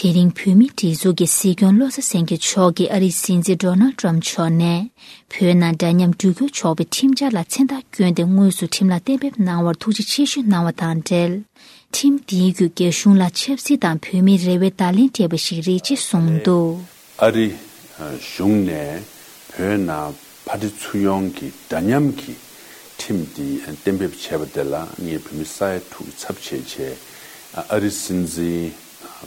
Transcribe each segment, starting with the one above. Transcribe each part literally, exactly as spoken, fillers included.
དེ་རིང་བོད་མིའི་སྒྲིག་འཛུགས་ཀྱི་སྲིད་སྐྱོང་བློ་བཟང་སེང་གེ་མཆོག་གིས་ཨ་རིའི་སྲིད་འཛིན་ཌོ་ནལ་ཊམ་མཆོག་ནས་བོད་ནང་འདྲ་མཉམ་འགྲུལ་སྐྱོད་ཆོག་པའི་ཁྲིམས་འཆར་ལ་མཚན་རྟགས་བསྐྱོན་ཏེ་དངོས་སུ་ཁྲིམས་ལ་གཏན་འབེབས་གནང་བར་ཐུགས་རྗེ་ཆེ་ཞུ་གནང་བ་དང་འབྲེལ། ཁྲིམས་འདིའི་བརྒྱུད་རྒྱ་གཞུང་ལ་ཆབ་སྲིད་དང་བོད་མིའི་རེ་བའི་བརྡ་ལན་སྤྲད་པ་ཞིག་རེད་ཅེས་གསུངས་འདུག། ཨ་རི་གཞུང་ནས་བོད་ནང་ཕར་འགྲོ་ཚུར་ཡོང་གི་འདྲ་མཉམ་གྱི་ཁྲིམས་འདི་གཏན་འབེབས་བྱས་པ་དེ་ལ་ངས་བོད་མི་ས་ཡ་དྲུག་གི་ཚབ་བྱས་བྱས་ཨ་རིའི་སྲིད་འཛིན་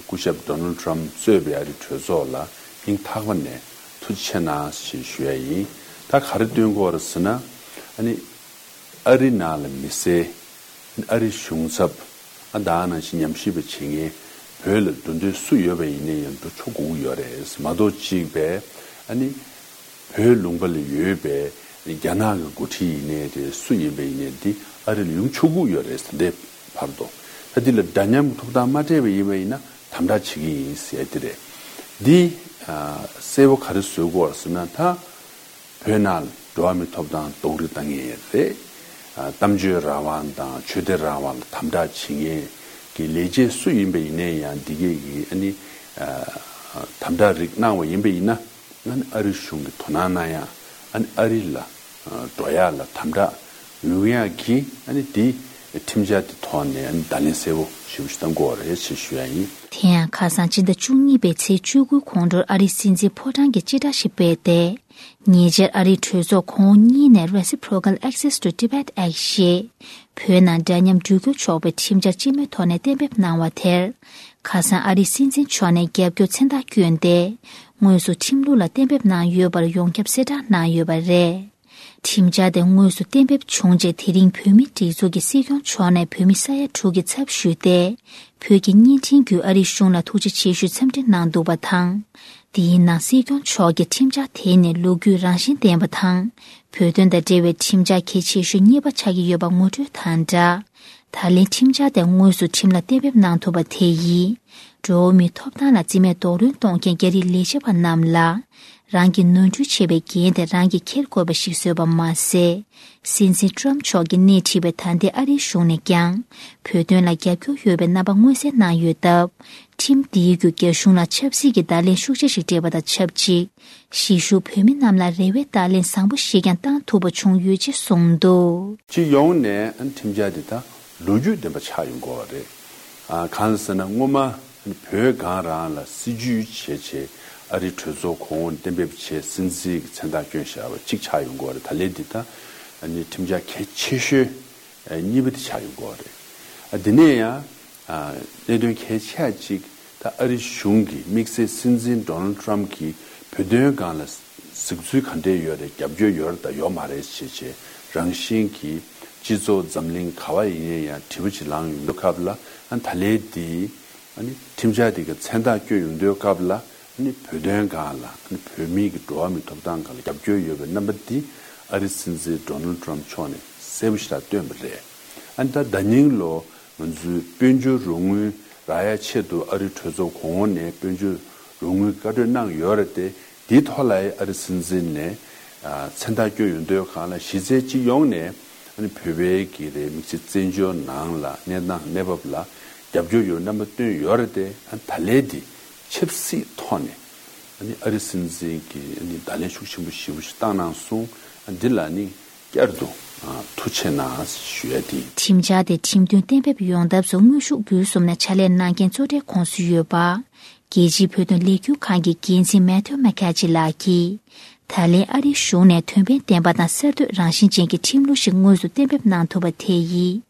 སྐུ་ཞབས་ཌོ་ནལ་ཊམ་གཙོས་པའི་ཨ་རིའི་གྲོས་ཚོགས་ལ་སྙིང་ཐག་པ་ནས་ཐུགས་རྗེ་ཆེ་གནང་ཞེས་ཞུ་ཡ་ཡིན། ད་ག་རེ་སྟོན་གྱི་ཡོད་རེད་ཟེར་ན། ཨ་ནི་ཨ་རི་ནང་ལ་མི་སེར། ཨ་རིའི་གཞུང་ཚབ། ཨ་ད་ནང་བཞིན་ཉམས་ཞིབ་པ་བྱེད་མཁན་བོད་ལ་འགྲོ་འདོད་སུ་ཡོད་པ་ཡིན་ནའི་ཡང་འགྲོ་ཆོག་དགོས་ཀྱི་ཡོད་རེད། མ་གཏོགས་གཅིག་པས་ཨ་ནི་བོད་ལུང་པ་ལ་ཡོད་པའི་རྒྱ་ནག་གི་འགོ་ཁྲིད་ཡིན་ནའི་རེད། སུ་ཡིན་པ་ཡིན་ནའི་འདི་ཨ་རི་ལ་ཡོང་ཆོག་གི་ཡོད་རེད། ད་ལྟའི་བར་དུ། ད་འདི་ལ་འདྲ་མཉམ་གྱི་ཐོབ་ཐང་མ་སྤྲད་པ་ཡིན་པ་ཡིན་ན་དམ་དྲག་བྱེད་ཀྱི་ཡིན་ཟེར་དེ་རེད། འདི་ཨ་གསལ་པོ་ག་རེ་བཟོ་དགོས་ཟེར་ན། ད་བོད་ནང་འགྲོ་བ་མིའི་ཐོབ་ཐང་རྡོག་རོལ་བཏང་མཁན་རེད། ཨ་གཏམ་བརྗོད་རང་དབང་དང་ཆོས་དད་རང་དབང་ལ་དམ་དྲག་བྱེད་མཁན་གྱི་ལས་བྱེད་སུ་ཡིན་པ་ཡིན་ནའི་ཡང་འདི་གས་ཀྱི་ཨ་ནི་ཨ་དམ་དྲག་རིགས་གནང་བ་ཡིན་པ་ཡིན་ན། ཨ་ནི་ཨ་རི་གཞུང་གིས་དོ་སྣང་གནང་ཡ། ཨ་ནི་ཨ་རི་ལ་ཨ་འགྲོ་ཡ་ལ་དམ་དྲག་ཡོང་ཡ་གི་ཨ་ནི་འདི་ཁྲིམས་འཆར་འདི་ཐོག་ནས་ཨ་ནི་བརྡ་ལན་གསལ་པོ་ཞེ་པོ་ཞིག་བཏང་དགོས་པ་རེད་ཅེས་ཞུ་ཡ་ཡིན། དེ་ཡང་ཁ་སང་སྤྱི་ཟླ་བཅུ་གཉིས་པའི་ཚེས་བཅུ་དགུའི་ཁོང་ཁྲོར་ཨ་རིའི་སྲིད་འཛིན་ཕོ་བྲང་གིས་སྤྱི་བསྒྲགས་ཤིག་སྤེལ་ཏེ། ཉེ་ཆར་ཨ་རིའི་གྲོས་ཚོགས་གོང་འོག་གཉིས་ནས་Reciprocal Access to Tibet Act ཞེས་བོད་ནང་འདྲ་མཉམ་འགྲུལ་སྐྱོད་ཆོག་པའི་ཁྲིམས་འཆར་སྤྱི་མོས་ཐོག་ནས་གཏན་འབེབས་གནང་བ་དེར། ཁ་སང་ཨ་རིའི་སྲིད་འཛིན་མཆོག་ནས་རྒྱབ་སྐྱོར་མཚན་རྟགས་བསྐྱོན་ཏེ། དངོས་སུ་ཁྲིམས་ལུགས་ལ་གཏན་འབེབས་གནང་ཡོད་པར་ཡོངས་ཁྱབ་གསལ་བསྒྲགས་གནང་ཡོད་པ་རེད། ཁྲིམས་འཆར་དེ་དངོས་སུ་གཏན་འབེབས་བྱུང་རྗེས་དེ་རིང་བོད་མིའི་སྒྲིག་འཛུགས་ཀྱི་སྲིད་སྐྱོང་མཆོག་ནས་བོད་མི་ས་ཡ་དྲུག་གི་ཚབ་ཞུས་ཏེ། བོད་ཀྱི་བརྙན་འཕྲིན་བརྒྱུད་ཨ་རིའི་གཞུང་ལ་ཐུགས་རྗེ་ཆེ་ཞུའི་འཚམས་འདྲི་གནང་འདུག་པ་དང་། དེའི་ནང་སྲིད་སྐྱོང་མཆོག་གིས་ཁྲིམས་འཆར་དེ་ནི་ལོ་རྒྱུས་རང་བཞིན་ལྡན་པ་དང་། བོད་དོན་དང་འབྲེལ་བའི་ཁྲིམས་འཆར་གལ་ཆེ་ཤོས་གཉིས་པ་ཆགས་ཀྱི་ཡོད་པ་ངོ་སྤྲོད་དང་སྦྲགས། ད་ལན་ཁྲིམས་འཆར་དེ་དངོས་སུ་ཁྲིམས་ལ་གཏན་འབེབས་གནང་ཐུབ་པ་དེ་ཡིས། འགྲོ་བ་མིའི་ཐོབ་ཐང་ལ་རྩིས་མེད་རྡོག་རོལ་གཏོང་མཁན་རྒྱ་རིགས་ལས་བྱེད་པ་རྣམས་ལ། རང་གི་ནོར་འཁྲུལ་བྱས་པའི་འགན་དེ་རང་གིས་འཁྱེར་དགོས་པ་ཞིག་བཟོས་པ་མ་ཟད། སྲིད་འཛིན་ཊམ་མཆོག་གིས་སྣེ་ཁྲིད་པའི་ད་ལྟའི་ཨ་རིའི་གཞུང་ནས་ཀྱང་། བོད་དོན་ལ་རྒྱབ་སྐྱོར་ཡོད་པའི་རྣམ་པ་མངོན་གསལ་གནང་ཡོད་སྟབས། ཁྲིམས་འདིའི་བརྒྱུད་རྒྱ་གཞུང་ལ་ཆབ་སྲིད་ཀྱི་བརྡ་ལན་ཤུགས་ཆེ་ཞིག་སྤྲད་པ་དང་ཆབས་ཅིག་གཞིས་བཞུགས་བོད་མི་རྣམས་ལ་རེ་བའི་བརྡ་ལན་བཟང་པོ་ཞིག་ཀྱང་བཏང་ཐུབ་པ་བྱུང་ཡོད་ཅེས་གསུངས་འདུག། སྤྱི་ཡོངས་ནས་ཁྲིམས་འཆར་འདི་དག་ལོ་རྒྱུས་ལྡན་པ་ཆགས་ཡོང་གི་ཡོད་རེད། ཨ་གང་ཟེར་ན་སྔོན་མ་བོད་སྒང་རང་ལ་སྲིད་ཇུས་བྱས་བྱས་ཨ་རིའི་གྲོས་ཚོགས་གོང་འོག་གཏན་འབེབས་བྱས་སྲིད་འཛིན་གྱི་མཚན་རྟགས་བསྐྱོན་བཞག་པ་གཅིག་ཆགས་ཡོང་གི་ཡོད་རེད། ད་ལན་འདི་དག་ཁྲིམས་འཆར་གལ་ཆེ་ཤོས་གཉིས་པ་དེ་ཆགས་ཡོང་གི་ཡོད་རེད། ཨ་འདི་ནས་ཡང་། ཨ་གནད་དོན་གལ་ཆེ་ཤོས་གཅིག་ད་ཨ་རི་གཞུང་གི་དམིགས་བསལ་སྲིད་འཛིན་ཌོ་ནལ་ཊམ་གྱིས་བོད་དོན་སྒང་ལ་གཟིགས་ཚུལ་ག་འདྲས་ཡོད་རེད། རྒྱབ་སྐྱོར་ཡོད་རེད་དང་ཡོད་མ་རེད་ཞེས་བྱས་རང་བཞིན་གྱིས་སྤྱི་ཚོགས་འཛམ་གླིང་ག་བ་ཡིན་ནའི་ཡང་དྲི་བ་ཅིག་ལངས་ཡོང་དུས་སྐབས་ལ། ཨ་ད་ལན་འདི་ཨ་ནི་ཁྲིམས་འཆར་འདི་གི་མཚན་རྟགས་བསྐྱོན་ཡོང་དུས་སྐབས་ལ། ཨ་ནི་བོད་དོན་སྒང་ལ་ཨ་ནི་བོད་མིའི་གི་འགྲོ་བ་མིའི་ཐོབ་ཐང་སྒང་ལ་རྒྱབ་སྐྱོར་ཡོད་པའི་རྣམ་པ་འདི་ཨ་རིའི་སྲིད་འཛིན་ཌོ་ནལ་ཊམ་མཆོག་ནས་གསལ་པོ་ཞེ་དྲག་བསྟན་པ་རེད། ཨ་ནི་ད་ཟླ་ཉིན་ལོ། ང་ཚོའི་དཔལ་འབྱོར་རོགས་དངུལ་རག་ཡ་ཆེད་དུ་ཨ་རིའི་གྲོས་ཚོགས་གོང་འོག་ནས་དཔལ་འབྱོར་རོགས་དངུལ་བཀའ་འཁྲོལ་གནང་ཡོད་རེད་དེ། དེའི་ཐོག་ལ་ཨ་རིའི་སྲིད་འཛིན་ནས་ཨ་མཚན་རྟགས་བསྐྱོན་ཡོང་དུས་སྒང་ལ་གཞི་རྩའི་སྤྱི་ཡོངས་ནས་ཨ་ནི་བོད་པའི་གི་རེད། དམིགས་བསལ་བཙན་བྱོལ་ནང་ལ་གནས་སྟངས་གནས་བབ་ལ་རྒྱབ་སྐྱོར་ཡོད་རྣམ་པ་བཏོན་ཡོད་རེད་དེ། ཨ་ད་ལན་འདི་ཆབ་སྲིད་ཐོག་ནས་ཨ་ནི་ཨ་རིའི་སྲིད་འཛིན་གྱིས་ཨ་ནི་བརྡ་ལན་ཤུགས་ཆེན་པོ་ཞེ་པོ་ཞིག་བཏང་གནང་སོང་། ཨ་འདི་ལ་ནི། བསྐྱར་དུ་ཨ་ཐུགས་རྗེ་གནང་ཞུ་ཡ་དེ། ཁྲིམས་འཆར་དེ་ཁྲིམས་མཐུན་གཏན་འབེབས་ཡོང་ཐབས་སུ་དངོས་ཤུགས་བརྒྱུད་གསུམ་ནས་ཕྱག་ལས་གནང་མཁན་གཙོ་གྲས་ཁོངས་སུ་ཡོད་པ། རྒྱལ་སྤྱིའི་བོད་དོན་ལས་འགུལ་ཁང་གི་འགན་འཛིན་མེ་ཐིའུ་མེ་ཁ་ཆི་ལགས་ཀྱིས། ད་ལན་ཨ་རིའི་གཞུང་ནས་དོན་ཕན་ལྡན་པ་དང་གསར་གཏོད་རང་བཞིན་ཅན་གྱི་ཁྲིམས་ལུགས་ཤིག་དངོས་སུ་གཏན་འབེབས་གནང་ཐུབ་པ་དེ་ཡིས།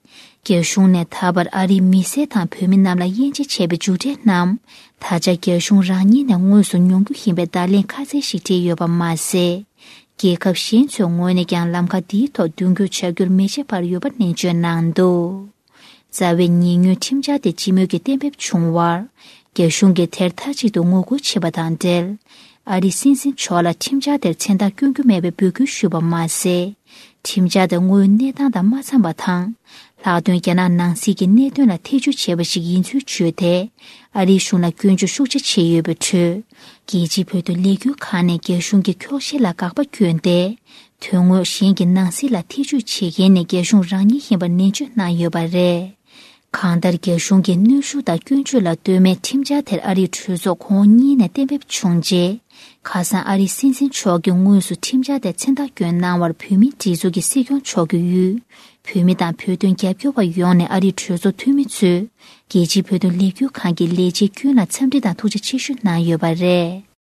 རྒྱ་གཞུང་ནས་ད་བར་ཨ་རིའི་མི་སེར་དང་བོད་མི་རྣམས་ལ་དབྱེ་འབྱེད་བྱས་པའི་མཇུག་འབྲས་རྣམས། ད་ཆ་རྒྱ་གཞུང་རང་ཉིད་ནས་དངོས་སུ་མྱོང་རྒྱུ་ཡིན་པའི་བརྡ་ལན་ཁ་གསལ་ཞིག་སྤྲད་ཡོད་པ་མ་ཟད། རྒྱལ་ཁབ་གཞན་ཚོའི་ངོས་ནས་ཀྱང་ལམ་ཁ་འདིའི་ཐོག་མདུན་སྐྱོད་བྱ་རྒྱུར་མེ་ལྕེ་འབར་ཡོད་པ་ནན་བརྗོད་གནང་འདུག། རྩ་བའི་ཉེ་སྔོན་ཁྲིམས་འཆར་དེ་སྤྱི་མོས་ཀྱིས་གཏན་འབེབས་བྱུང་བར། རྒྱ་གཞུང་གིས་དེར་མཐའ་གཅིག་ཏུ་ངོ་རྒོལ་བྱས་པ་དང་འབྲེལ། ཨ་རིའི་སྲིད་འཛིན་མཆོག་ལ་ཁྲིམས་འཆར་དེར་མཚན་རྟགས་བསྐྱོན་རྒྱུ་མེད་པའི་འབོད་སྐུལ་ཞུས་པ་མ་ཟད། ཁྲིམས་འཆར་དེ་དངོས་ཡོད་གནས་སྟངས་དང་མ་འཚམས་པ་དང་། ལྷག་དོན་རྒྱ་ནག་ནང་སྲིད་ཀྱི་གནད་དོན་ལ་ཐེ་ཇུས་བྱས་པ་ཞིག་ཡིན་ཚུལ་བརྗོད་དེ། ཨ་རིའི་གཞུང་ལ་སྐྱོན་བརྗོད་ཤུགས་ཆེ་བྱས་ཡོད་པའི་ཁྲོད། རྒྱལ་སྤྱིའི་བོད་དོན་ལས་འགུལ་ཁང་ནས་རྒྱ་གཞུང་གི་འཁྱོག་བཤད་ལ་དགག་པ་བསྐྱོན་ཏེ། དོན་དངོས་གཞན་གྱི་ནང་སྲིད་ལ་ཐེ་ཇུས་བྱེད་མཁན་ནི་རྒྱ་གཞུང་རང་ཉིད་ཡིན་པར་ནན་བརྗོད་གནང་ཡོད་པ་རེད། གང་ལྟར། རྒྱ་གཞུང་གིས་གནོན་ཤུགས་དང་སྐྱོན་བརྗོད་ལ་ལྟོས་མེད་ཁྲིམས་འཆར་དེར་ཨ་རིའི་གྲོས་ཚོགས་ཁོངས་གཉིས་ནས་གཏན་འབེབས་བྱུང་རྗེས། ཁ་སང་ཨ་རིའི་སྲིད་འཛིན་མཆོག་གིས་དངོས་སུ་ཁྲིམས་འཆར་དེར་མཚན་རྟགས་བསྐྱོན་གནང་བར། བོད་མིའི་སྒྲིག་འཛུགས་ཀྱི་སྲིད་སྐྱོང་མཆོག་གིས་ཡུལ་བོད་མི་དང་བོད་དོན་རྒྱབ་སྐྱོར་བ་ཡོངས་ནས་ཨ་རིའི་གྲོས་ཚོགས་འཐུས་མི་ཚོས་རྒྱལ་སྤྱིའི་བོད་དོན་ལས་འགུལ་ཁང་གི་ལས་བྱེད་ཀུན་ལ་འཚམས་འདྲི་དང་ཐུགས་རྗེ་ཆེ་ཞུ་གནང་ཡོད་པ་རེད།